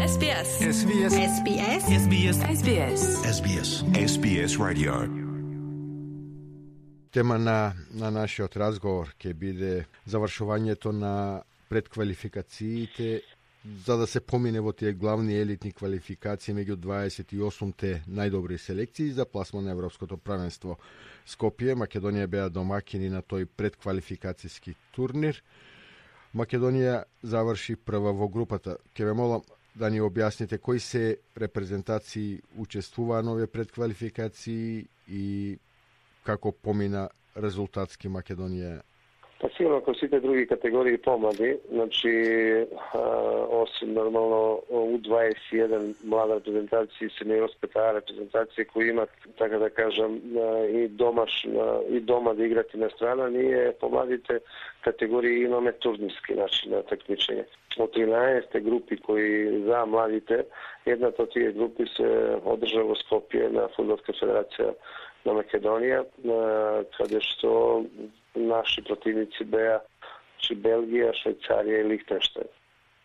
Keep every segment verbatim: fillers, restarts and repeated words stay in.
S B S. S B S. S B S. S B S. S B S. S B S. S B S Radio. Тема на, на нашиот разговор ќе биде завршувањето на предквалификациите за да се помине во тие главни елитни квалификации меѓу дваесет и осумте најдобри селекции за пласман на Европското правенство. Скопје, Македонија беа домакини на тој предквалификацијски турнир. Македонија заврши прва во групата. Ке ве молам да ни објасните кои се репрезентации учествуваа на овие предквалификации и како помина резултатски Македонија? Па сигурно како сите други категории помлади, значи а, осим нормално У дваесет и еден млада репрезентација и сениорската репрезентација кои имат, така да кажам, и домаш и дома да играт и на страна, ние помладите категории имаме турнирски начин на такмичење. Од тринаесет групи кои за младите, едната од тие групи се одржа во Скопје на Фудбалска федерација на Македонија, каде што наши противници беа чи Белгија, Швајцарија и Лихтенштајн.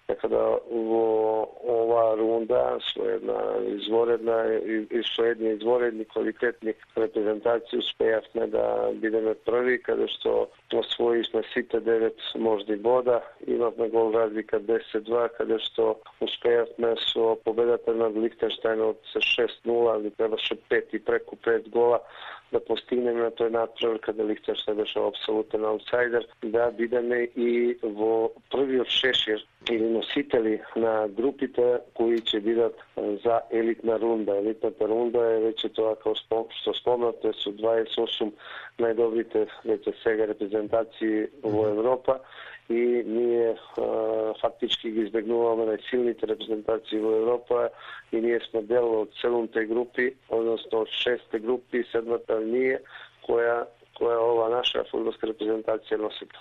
Така да во ова рунда со една изворедна и, и со едни изворедни квалитетни репрезентации успеавме да бидеме први, каде што освоивме сите девет можни бода, имавме гол разлика десет два, каде што успеавме со победата над Лихтенштајн од шест нула, ни требаше пет и преку пет гола да постигнеме на тој надпревар, каде Лихтенштајн беше апсолутен аутсайдер, да бидеме и во првиот шешир или носители на групите кои ќе бидат за елитна рунда. Елитната рунда е веќе тоа како што спомнате со дваесет и осум најдобрите веќе сега репрезентации во Европа и ние а, фактички ги избегнуваме најсилните репрезентации во Европа и ние сме дел од седумте групи, односно од шестте групи, седмата ние, која, која ова наша фудбалска репрезентација носите.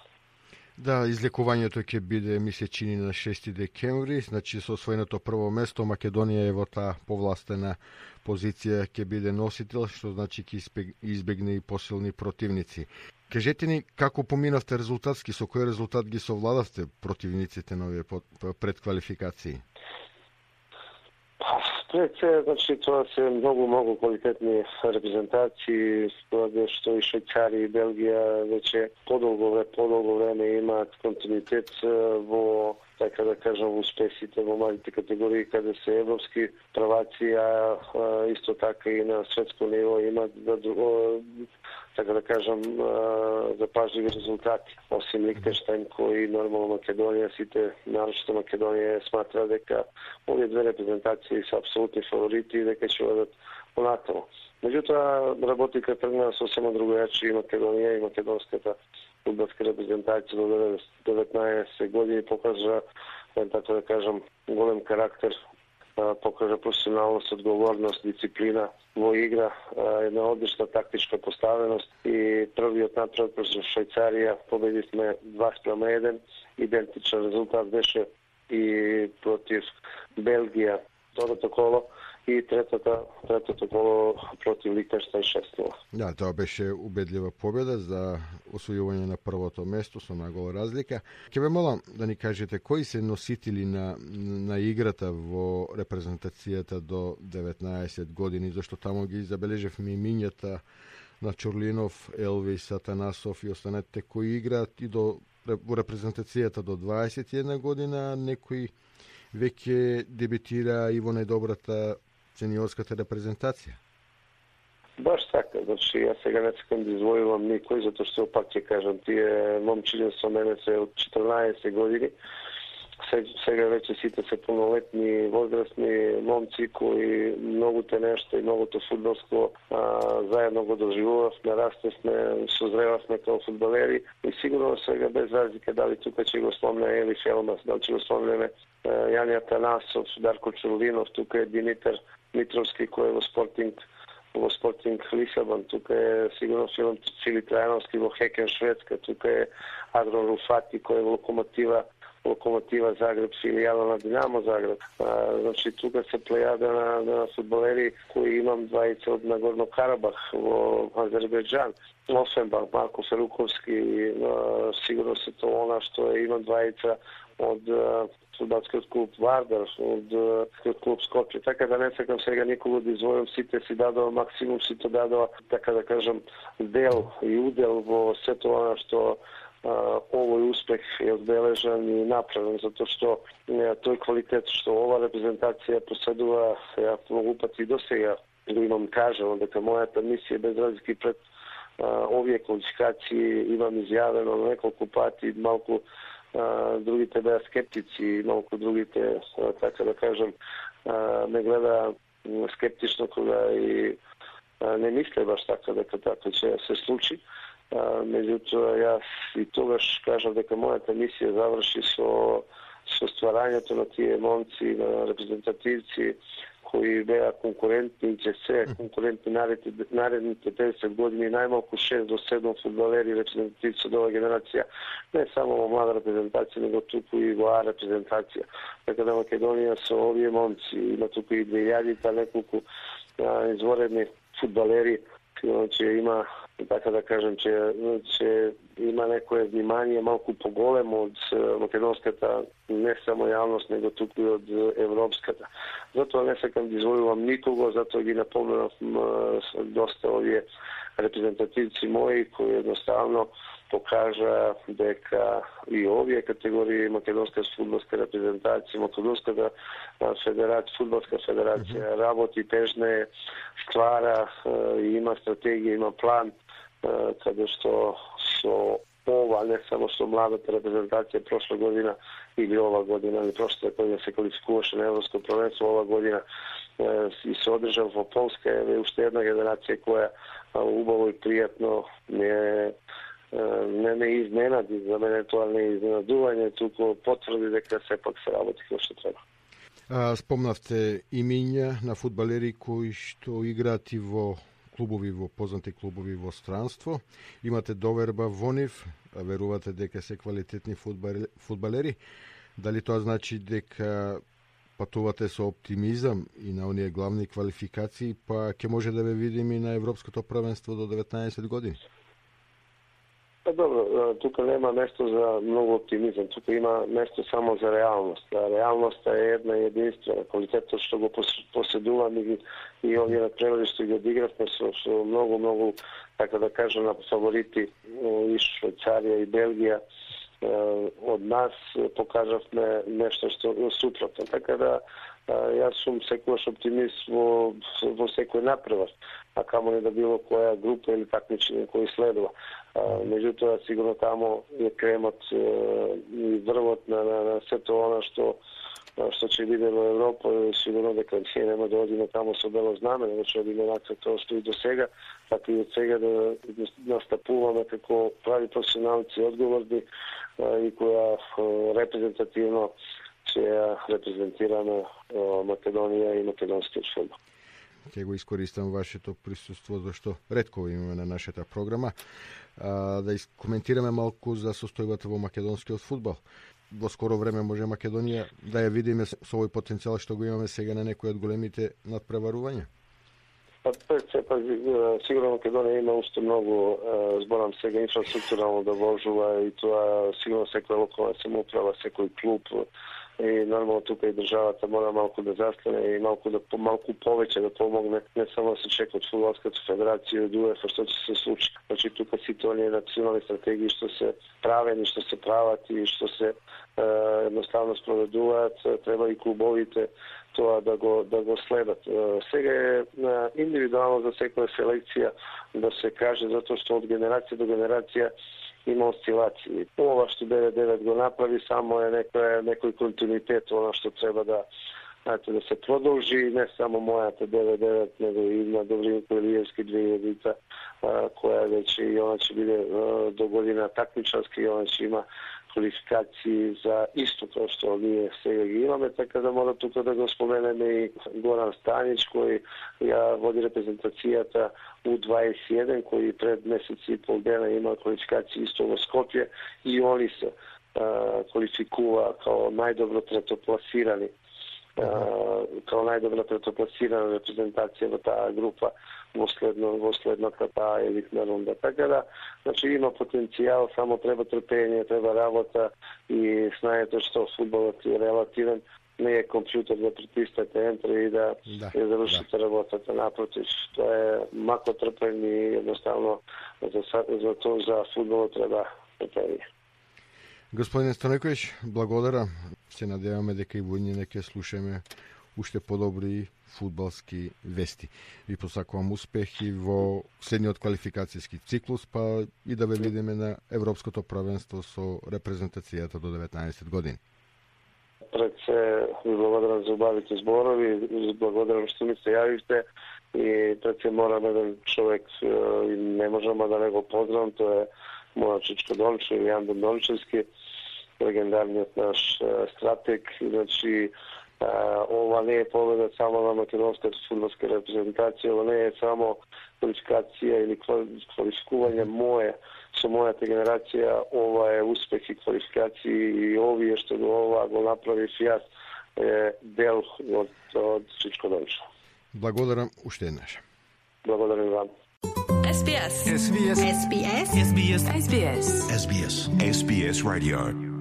Да, излекувањето ќе биде, ми се чини, на шести декември, значи со освоеното прво место Македонија е во таа повластена позиција ќе биде носител, што значи ќе избегне и посилни противници. Кажете ни како поминавте резултатски, со кој резултат ги совладавте противниците на овие предквалификации? Пред се, значи, тоа се многу, многу квалитетни репрезентации, според што и Швајцарија и Белгија веќе подолго, подолго време имаат континуитет во, така да кажам, успесите во младите категории, каде се европски праваци, а исто така и на светско ниво имаат да, така да кажам, запажливи резултати. Осим Лихтенштајн, кои нормално Македонија, сите, нарочно Македонија, сматра дека овие две репрезентации се апсолутни фаворити и дека ќе одат понатаму. Меѓутоа, работика тргна сосема другојаче и Македонија и македонската фудбалска репрезентација до деветнаесет години покажа, така да кажам, голем карактер, покажа професионалност, одговорност, дисциплина во игра, една одлична тактичка поставеност и првиот натпревар против Швајцарија победивме два спрема еден, идентичен резултат беше и против Белгија второто коло и третата, третото коло против Лихтенштајн шест нула. Да, тоа беше убедлива победа за освојување на првото место со нагол разлика. Ќе ве молам да ни кажете кои се носители на, на играта во репрезентацијата до деветнаесет години, зашто таму ги забележевме имињата на Чурлинов, Елвис, Атанасов и останатите кои играат и до во репрезентацијата до дваесет и една година, некои веќе дебитира и во најдобрата сениорската репрезентација. Баш така, значи јас сега не сакам да извојувам никој, затоа што пак ќе кажам, тие момчиња со мене се од четрнаесет години, сега веќе сите се полнолетни, возрастни момци кои многуте нешто и многуто фудбалско а, заедно го доживувавме, растевме, созревавме како фудбалери и сигурно сега без разлика дали тука ќе го спомне Ели Фелмас, дали ќе го спомнеме Јани Атанасов, Дарко Чурлинов, тука е Димитар Митровски кој е во Спортинг во Спортинг Лисабон, тука е сигурно Филип Цили Трајановски во Хекен Шведска, тука е Агро Руфати кој е во Локомотива Локомотива Загреб, филијала на Динамо Загреб. А, значи, тука се плејада на, на фудбалери кои имам двајца од Нагорно Карабах во Азербејџан. Офенбах, Марко Феруковски, а, сигурно се тоа она што е, имам двајца од фудбалскиот клуб Вардар, од клуб Скопје. Така да не сакам сега никого да извојам, сите си дадоа максимум, сите дадоа, така да кажам, дел и удел во сето она што Uh, овој успех е одбележан и направен, затоа што uh, тој квалитет што ова репрезентација поседува, ја многу пати до сега го имам кажано дека мојата мисија без разлики пред uh, овие квалификации имам изјавено неколку пати, малку uh, другите беа скептици, малку другите, uh, така да кажам, uh, ме гледа скептично кога и uh, не мисле баш така дека така ќе се случи. Uh, меѓутоа, јас и тогаш кажав дека мојата мисија заврши со, со стварањето на тие момци, на репрезентативци кои беа конкурентни и ќе се конкурентни наредните, наредните петдесет години, најмалку шест до седум фудбалери репрезентативци од оваа генерација, не само во млада репрезентација, него туку и во А репрезентација. Така да Македонија со овие момци има туку и две илјади неколку а, изворедни фудбалери, че има, така да кажем, че, че има некое внимание малку поголемо од македонската не само јавност, него туку и од европската. Затоа не сакам да извојувам никого, затоа ги напомнав доста овие репрезентативци мои кои едноставно покажа дека и овие категории македонска фудбалска репрезентација, македонската федерација, фудбалска федерација работи, тежне, ствара, има стратегија, има план, каде што со ова, не само со младата репрезентација прошла година или ова година, или прошлата година се квалификуваше на Европско првенство, ова година и се одржа во Полска, е уште една генерација која убаво и пријатно не не ме изненади, за мене тоа не е изненадување, туку потврди дека сепак се работи како што треба. А, спомнавте имиња на фудбалери кои што играат и во клубови, во познати клубови во странство. Имате доверба во нив, верувате дека се квалитетни фудбалери. Дали тоа значи дека патувате со оптимизам и на оние главни квалификации, па ќе може да ве видиме и на Европското првенство до деветнаесет години? Па добро, тука нема место за многу оптимизам, тука има место само за реалност. А реалноста е една и единствена. Квалитетот што го поседувам и, и овие надпревари што ги одигравме со, со многу, многу, така да кажам, на фаворити и Швајцарија и Белгија, од нас покажавме нешто што супротно. Така да јас сум секогаш оптимист во, во секој напревар, а камо не да било која група или такмичење кој следува. Меѓутоа, сигурно тамо е кремот и врвот на, на, на сето она што што ќе биде во Европа, сигурно дека ние нема да одиме тамо со бело знаме, него ќе одиме нака тоа што и до сега, така и од сега да настапуваме како прави професионалци одговорни и која репрезентативно ќе репрезентираме Македонија и македонскиот фудбал. Ќе го искористам вашето присуство, зашто ретко имаме на нашата програма, а, да коментираме малку за состојбата во македонскиот фудбал. Во скоро време може Македонија да ја видиме со овој потенцијал што го имаме сега на некои од големите надпреварувања? Па, па, сигурно Македонија има уште многу, зборам сега, инфраструктурално да вложува и тоа сигурно секоја локална самоуправа, секој клуб и нормално тука и државата мора малку да застане и малку да малку повеќе да помогне, не само да се чека од фудбалската федерација и од УЕФА што ќе се случи. Значи тука сите оние национални стратегии што се правени, што се прават и што се е, едноставно спроведуваат, треба и клубовите тоа да го да го следат. Сега е индивидуално за секоја селекција да се каже, затоа што од генерација до генерација има осцилации. Ова што девет девет го направи само е некој некој континуитет, она што треба да знаете, да се продолжи, не само мојата девет девет, него и на Добринко Илиевски две илјадите, која веќе и она ќе биде до година такмичарски, и она ќе има квалификации за исто тоа што ние сега ги имаме, така да мора тука да го споменеме и Горан Станич, кој ја води репрезентацијата У дваесет и еден, кој пред месеци и пол дена има квалификации исто во Скопје и они се а, квалификува као најдобро третопласирани kao najdobra pretoplasirana reprezentacija во tаа група во следно во следната таа елитна рунда. Така да, значи има потенцијал, само треба трпење, треба работа и знаете што фудбалот е релативен, не е компјутер да притиснете ентер и да, да ја завршите да. работата. Напротив, тоа е мако трпење и едноставно за за тоа за фудбалот треба трпење. Господине Станојковиќ, благодарам. Се надеваме дека и во ние ќе слушаме уште подобри фудбалски вести. Ви посакувам успехи во следниот квалификацијски циклус, па и да ве видиме на Европското првенство со репрезентацијата до деветнаесет години. Пред се ви благодарам за убавите зборови, ви благодарам што ми се јавивте и пред се морам еден човек и не можам да не го поздравам, тоа е моја Чичко Дончев, Јан Дончевски, легендарниот наш стратег. Значи, ова не е победа само на македонската фудбалска репрезентација, ова не е само квалификација или квалификување мое со мојата генерација, ова е успех и квалификации и овие што до ова го направив јас е дел од, од Чичко Дончев. Благодарам уште еднаш. Благодарам вам. S B S. S B S. S B S. S B S. S B S. S B S Radio.